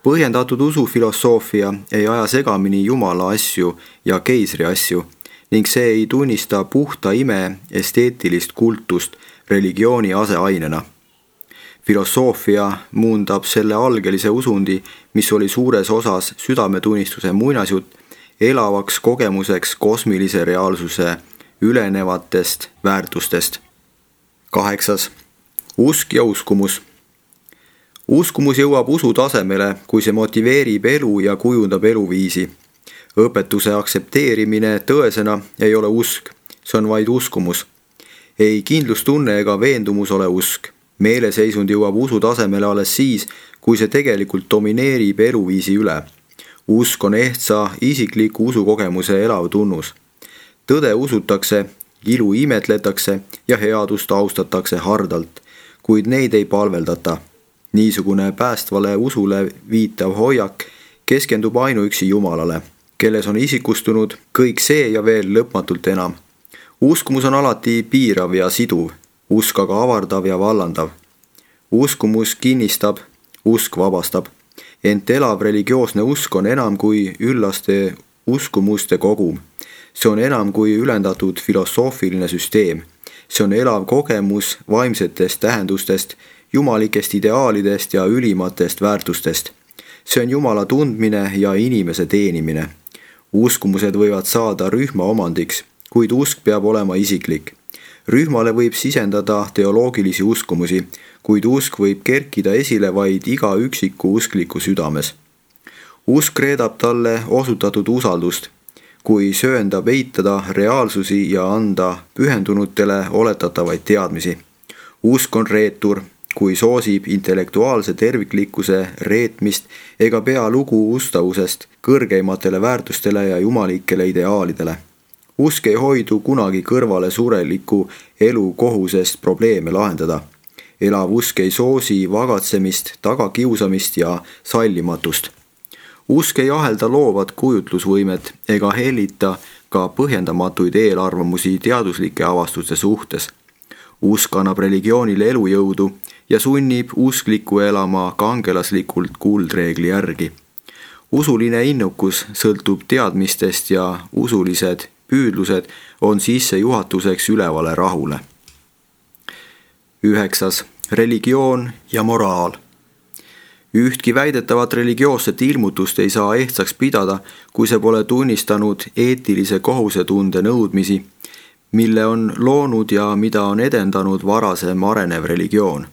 Põhjendatud usufilosoofia ei aja segamini Jumala asju ja keisri asju ning see ei tunnista puhta ime esteetilist kultust religiooni aseainena. Filosoofia muundab selle algelise usundi, mis oli suures osas südametunnistuse muinasjutt, elavaks kogemuseks kosmilise reaalsuse ülenevatest väärtustest. 8. Usk ja uskumus. Uskumus jõuab usu tasemele, kui see motiveerib elu ja kujundab eluviisi. Õpetuse aktsepteerimine tõesena ei ole usk, see on vaid uskumus. Ei kindlustunne ega veendumus ole usk. Meeleseisund jõuab usu tasemele alles siis, kui see tegelikult domineerib eluviisi üle. Usk on ehtsa isikliku usukogemuse elav tunnus. Tõde usutakse, ilu imetletakse ja headust austatakse hardalt, kuid neid ei palveldata. Niisugune päästvale usule viitav hoiak keskendub ainuüksi Jumalale, kelles on isikustunud kõik see ja veel lõpmatult enam. Uskumus on alati piirav ja siduv, usk aga avardav ja vallandav. Uskumus kinnistab, usk vabastab. Ent elav religioosne usk on enam kui üllaste uskumuste kogum. See on enam kui ülendatud filosoofiline süsteem. See on elav kogemus vaimsetest tähendustest, jumalikest ideaalidest ja ülimatest väärtustest. See on Jumala tundmine ja inimese teenimine. Uskumused võivad saada rühma omandiks, kuid usk peab olema isiklik. Rühmale võib sisendada teoloogilisi uskumusi, kuid usk võib kerkida esile vaid iga üksiku uskliku südames. Usk reedab talle osutatud usaldust, kui sööndab eitada reaalsusi ja anda pühendunutele oletatavaid teadmisi. Usk on reetur, kui soosib intellektuaalse terviklikkuse reetmist ega pea lugu ustavusest kõrgeimatele väärtustele ja jumalikele ideaalidele. Usk ei hoidu kunagi kõrvale sureliku elu kohusest probleeme lahendada. Elav usk ei soosi vagatsemist, tagakiusamist ja sallimatust. Usk ei ahelda loovat kujutlusvõimet ega hellita ka põhjendamatuid eelarvamusi teaduslike avastuste suhtes. Usk annab religioonile elujõudu ja sunnib usklikku elama kangelaslikult kuldreegli järgi. Usuline innukus sõltub teadmistest ja usulised püüdlused on sissejuhatuseks ülevale rahule. 9. Religioon ja moraal. Ühtki väidetavat religioosset ilmutust ei saa ehtsaks pidada, kui see pole tunnistanud eetilise kohusetunde nõudmisi, mille on loonud ja mida on edendanud varasem arenev religioon.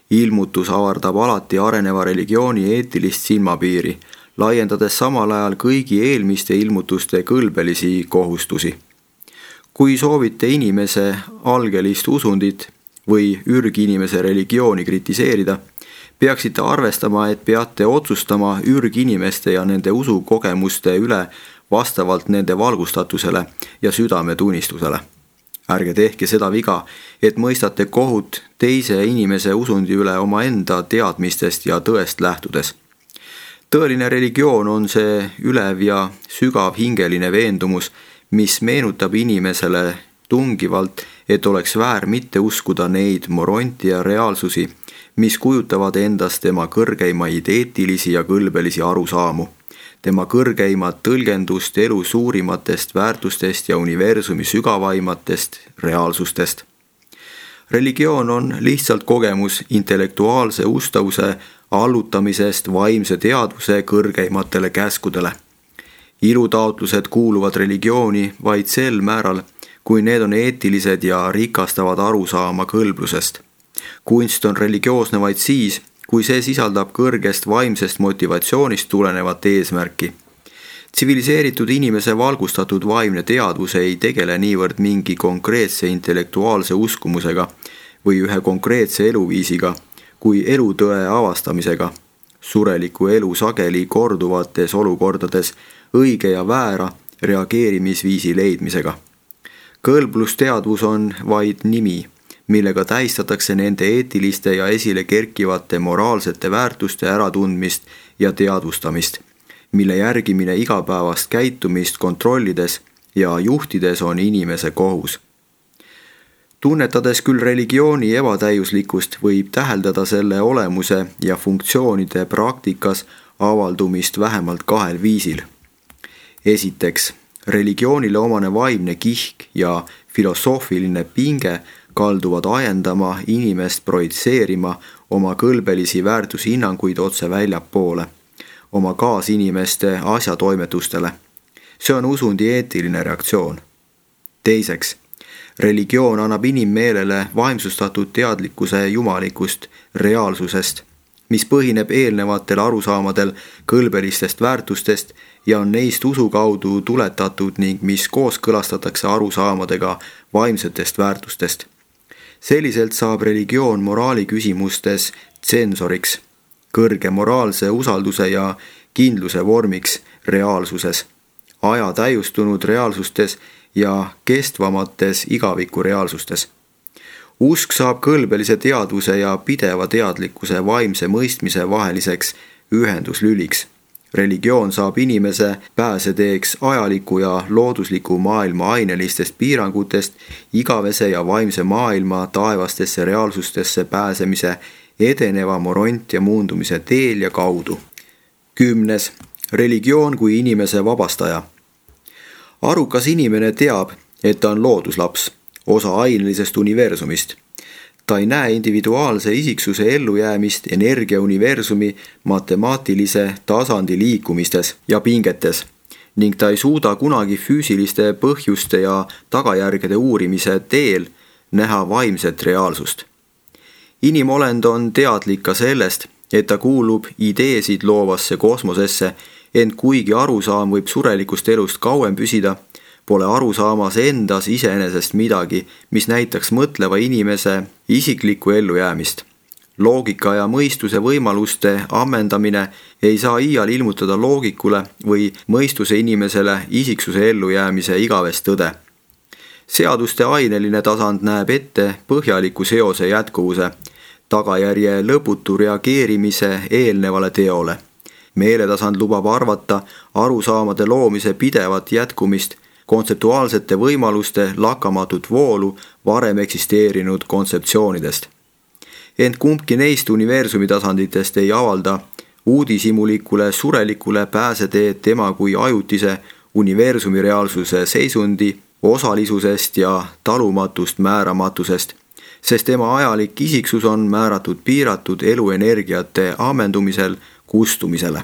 Ilmutus avardab alati areneva religiooni eetilist silmapiiri, laiendades samal ajal kõigi eelmiste ilmutuste kõlbelisi kohustusi. Kui soovite inimese algelist usundit või ürginimese religiooni kritiseerida, peaksite arvestama, et peate otsustama ürginimeste ja nende usukogemuste üle vastavalt nende valgustatusele ja südametunnistusele. Ärge tehke seda viga, et mõistate kohut teise inimese usundi üle omaenda teadmistest ja tõest lähtudes. Tõeline religioon on see ülev ja sügav hingeline veendumus, mis meenutab inimesele tungivalt, et oleks väär mitte uskuda neid morontia reaalsusi, mis kujutavad endast tema kõrgeimaid eetilisi ja kõlbelisi arusaamu, tema kõrgeimat tõlgendust elu suurimatest väärtustest ja universumi sügavaimatest reaalsustest. Religioon on lihtsalt kogemus intellektuaalse ustavuse allutamisest vaimse teadvuse kõrgeimatele käskudele. Ilutaotlused kuuluvad religiooni vaid sel määral, kui need on eetilised ja rikastavad arusaama kõlblusest. Kunst on religioosne vaid siis, kui see sisaldab kõrgest vaimsest motivatsioonist tulenevat eesmärki. Tsiviliseeritud inimese valgustatud vaimne teadvus ei tegele niivõrd mingi konkreetse intellektuaalse uskumusega või ühe konkreetse eluviisiga, kui elutõe avastamisega, sureliku elu sageli korduvates olukordades õige ja väära reageerimisviisi leidmisega. Kõlblusteadvus on vaid nimi, millega tähistatakse nende eetiliste ja esile kerkivate moraalsete väärtuste äratundmist ja teadvustamist, mille järgimine igapäevast käitumist kontrollides ja juhtides on inimese kohus. Tunnetades küll religiooni ebatäiuslikkust, võib täheldada selle olemuse ja funktsioonide praktikas avaldumist vähemalt kahel viisil. Esiteks, religioonile omane vaimne kihk ja filosoofiline pinge kalduvad ajendama inimest projitseerima oma kõlbelisi väärtushinnanguid otse väljapoole, oma kaasinimeste asjatoimetustele. See on usundi eetiline reaktsioon. Teiseks, religioon annab inimmeelele vaimsustatud teadlikkuse jumalikust reaalsusest, mis põhineb eelnevatel arusaamadel kõlbelistest väärtustest ja on neist usu kaudu tuletatud ning mis kooskõlastatakse arusaamadega vaimsetest väärtustest. Selliselt saab religioon moraali küsimustes tsensoriks, kõrge moraalse usalduse ja kindluse vormiks reaalsuses, aja täiustunud reaalsustes ja kestvamates igaviku reaalsustes. Usk saab kõlbelise teadvuse ja pideva teadlikkuse vaimse mõistmise vaheliseks ühenduslüliks. Religioon saab inimese pääseteeks ajaliku ja loodusliku maailma ainelistest piirangutest igavese ja vaimse maailma taevastesse reaalsustesse pääsemise edeneva moront- ja muundumise teel ja kaudu. 10. Religioon kui inimese vabastaja. Arukas inimene teab, et ta on looduslaps, osa ainelisest universumist. Ta ei näe individuaalse isiksuse ellujäämist energiauniversumi matemaatilise tasandi liikumistes ja pingetes ning ta ei suuda kunagi füüsiliste põhjuste ja tagajärgede uurimise teel näha vaimset reaalsust. Inimolend on teadlik ka sellest, et ta kuulub ideesid loovasse kosmosesse, ent kuigi arusaam võib surelikust elust kauem püsida, pole arusaamas endas iseenesest midagi, mis näitaks mõtleva inimese isiklikku ellujäämist. Loogika ja mõistuse võimaluste ammendamine ei saa iial ilmutada loogikule või mõistuse inimesele isiksuse ellujäämise igavest tõde. Seaduste aineline tasand näeb ette põhjaliku seose jätkuvuse, tagajärje lõputu reageerimise eelnevale teole. Meeletasand lubab arvata arusaamade loomise pidevat jätkumist, kontseptuaalsete võimaluste lakkamatut voolu varem eksisteerinud kontseptsioonidest. Ent kumbki neist universumi tasanditest ei avalda uudishimulikule surelikule pääseteed tema kui ajutise universumi reaalsuse seisundi osalisusest ja talumatust määramatusest, sest tema ajalik isiksus on määratud piiratud eluenergiate ammendumisel kustumisele.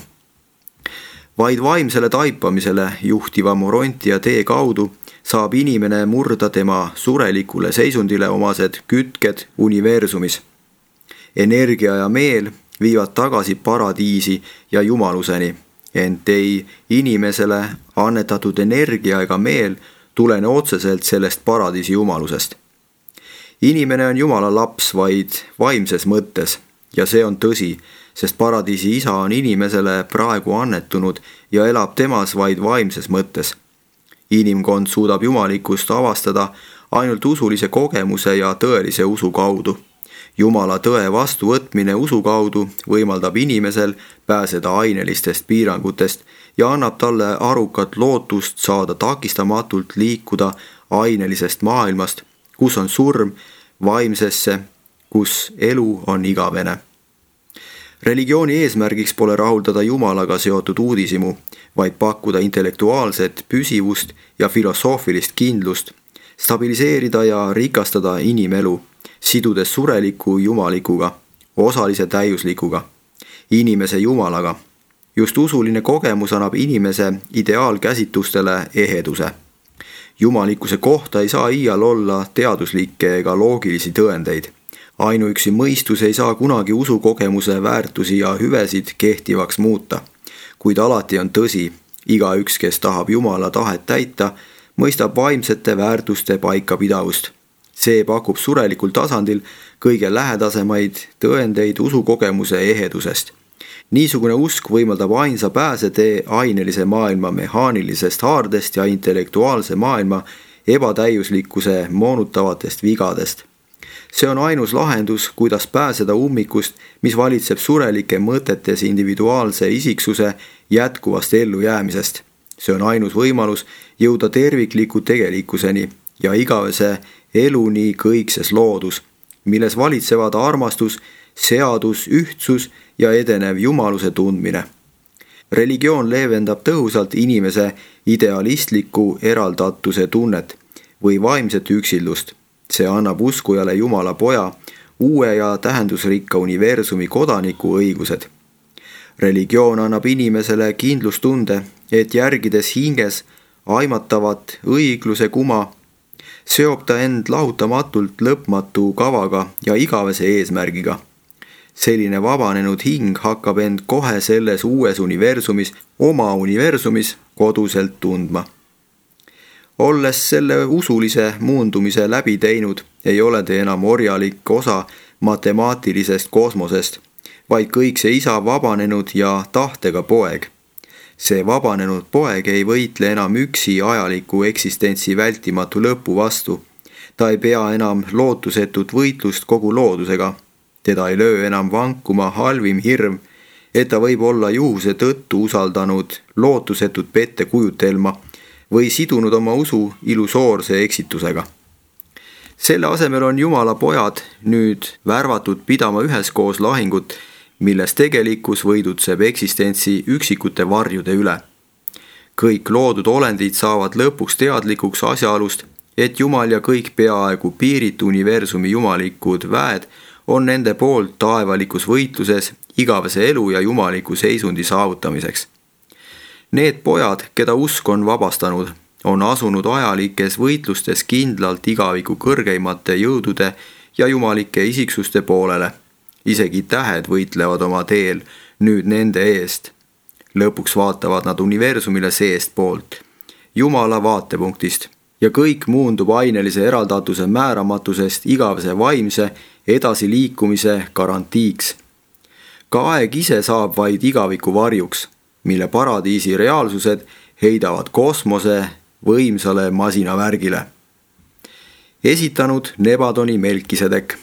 Vaid vaimsele taipamisele juhtiva moronti ja tee kaudu saab inimene murda tema surelikule seisundile omased kütked universumis. Energia ja meel viivad tagasi paradiisi ja jumaluseni, ent ei inimesele annetatud energia ega meel tulene otseselt sellest paradiisi jumalusest. Inimene on Jumala laps vaid vaimses mõttes ja see on tõsi, sest paradiisi isa on inimesele praegu annetunud ja elab temas vaid vaimses mõttes. Inimkond suudab jumalikkust avastada ainult usulise kogemuse ja tõelise usu kaudu. Jumala tõe vastuvõtmine usu kaudu võimaldab inimesel pääseda ainelistest piirangutest ja annab talle arukat lootust saada takistamatult liikuda ainelisest maailmast, kus on surm, vaimsesse, kus elu on igavene. Religiooni eesmärgiks pole rahuldada Jumalaga seotud uudishimu, vaid pakkuda intellektuaalset püsivust ja filosoofilist kindlust, stabiliseerida ja rikastada inimelu, sidudes sureliku jumalikuga, osalise täiuslikuga, inimese Jumalaga. Just usuline kogemus annab inimese ideaalkäsitustele eheduse. Jumalikkuse kohta ei saa iial olla teaduslikke ega loogilisi tõendeid. Ainuüksi mõistus ei saa kunagi usukogemuse väärtusi ja hüvesid kehtivaks muuta, kuid alati on tõsi, igaüks, kes tahab Jumala tahet täita, mõistab vaimsete väärtuste paikapidavust. See pakub surelikul tasandil kõige lähedasemaid tõendeid usukogemuse ehedusest. Niisugune usk võimaldab ainsa pääsetee ainelise maailma mehaanilisest haardest ja intellektuaalse maailma ebatäiuslikkuse moonutavatest vigadest. See on ainus lahendus, kuidas pääseda ummikust, mis valitseb surelike mõtetes individuaalse isiksuse jätkuvast ellujäämisest. See on ainus võimalus jõuda tervikliku tegelikkuseni ja igavese eluni kõikses loodus, milles valitsevad armastus, seadus, ühtsus ja edenev jumaluse tundmine. Religioon leevendab tõhusalt inimese idealistliku eraldatuse tunnet või vaimset üksildust. See annab uskujale Jumala poja uue ja tähendusrikka universumi kodaniku õigused. Religioon annab inimesele kindlustunde, et järgides hinges aimatavat õigluse kuma, seob ta end lahutamatult lõpmatu kavaga ja igavese eesmärgiga. Selline vabanenud hing hakkab end kohe selles uues universumis, oma universumis koduselt tundma. Olles selle usulise muundumise läbi teinud, ei ole te enam orjalik osa matemaatilisest kosmosest, vaid kõik see isa vabanenud ja tahtega poeg. See vabanenud poeg ei võitle enam üksi ajaliku eksistentsi vältimatu lõpu vastu. Ta ei pea enam lootusetut võitlust kogu loodusega. Teda ei löö enam vankuma halvim hirm, et ta võib olla juhuse tõttu usaldanud lootusetut pettekujutelma või sidunud oma usu illusoorse eksitusega. Selle asemel on Jumala pojad nüüd värvatud pidama üheskoos lahingut, milles tegelikkus võidutseb eksistentsi üksikute varjude üle. Kõik loodud olendid saavad lõpuks teadlikuks asjaolust, et Jumal ja kõik peaaegu piiritu universumi jumalikud väed on nende poolt taevalikus võitluses igavese elu ja jumaliku seisundi saavutamiseks. Need pojad, keda usk on vabastanud, on asunud ajalikes võitlustes kindlalt igaviku kõrgeimate jõudude ja jumalike isiksuste poolele. Isegi tähed võitlevad oma teel nüüd nende eest. Lõpuks vaatavad nad universumile seest poolt, Jumala vaatepunktist, ja kõik muundub ainelise eraldatuse määramatusest igavese vaimse edasiliikumise garantiiks. Ka aeg ise saab vaid igaviku varjuks, mille paradiisi reaalsused heidavad kosmose võimsale masinavärgile. Esitanud Nebadoni Melkisedek.